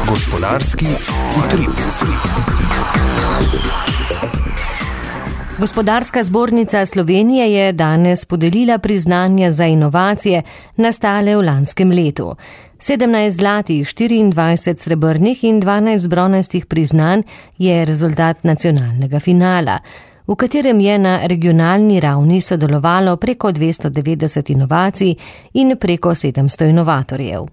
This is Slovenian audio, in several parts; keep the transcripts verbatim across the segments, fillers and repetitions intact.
Gospodarski utrip. Gospodarska zbornica Slovenije je danes podelila priznanja za inovacije nastale v lanskem letu. sedemnajst zlatih, štiriindvajset srebrnih in dvanajst bronastih priznanj je rezultat nacionalnega finala, v katerem je na regionalni ravni sodelovalo preko dvesto devetdeset inovacij in preko sedemsto inovatorjev.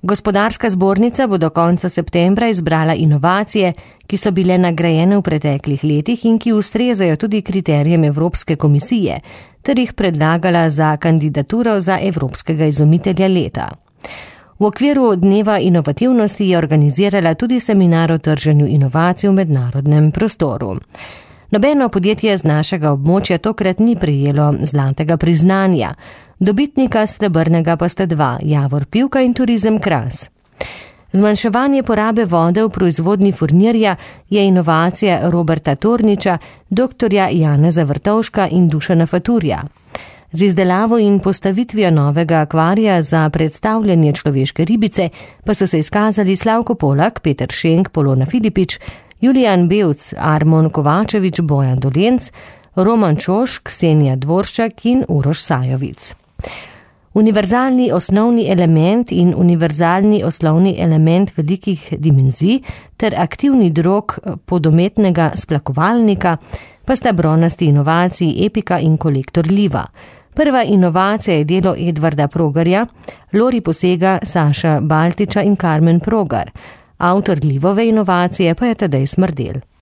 Gospodarska zbornica bo do konca septembra izbrala inovacije, ki so bile nagrajene v preteklih letih in ki ustrezajo tudi kriterijem Evropske komisije, ter jih predlagala za kandidaturo za Evropskega izumitelja leta. V okviru Dneva inovativnosti je organizirala tudi seminar o trženju inovacij v mednarodnem prostoru. Nobeno podjetje z našega območja tokrat ni prejelo zlatega priznanja, dobitnika srebrnega pa sta dva, Javor Pivka in Turizem Kras. Zmanjševanje porabe vode v proizvodnji furnirja je inovacija Roberta Torniča, doktorja Janeza Vrtovška in Dušana Faturja. Z izdelavo in postavitvijo novega akvarija za predstavljanje človeške ribice pa so se izkazali Slavko Polak, Peter Šenk, Polona Filipič, Julijan Bevc, Armon Kovačevič, Bojan Dolenc, Roman Čoš, Ksenija Dvorščak in Uroš Sajovic. Univerzalni osnovni element in univerzalni osnovni element velikih dimenzij ter aktivni drog podometnega splakovalnika pa sta bronasti inovaciji Epika in Kolektor Liva. Prva inovacija je delo Edvarda Progarja, Lori Posega, Saša Baltiča in Karmen Progar. Avtor Livove inovacije pa je Tadej Smrdel.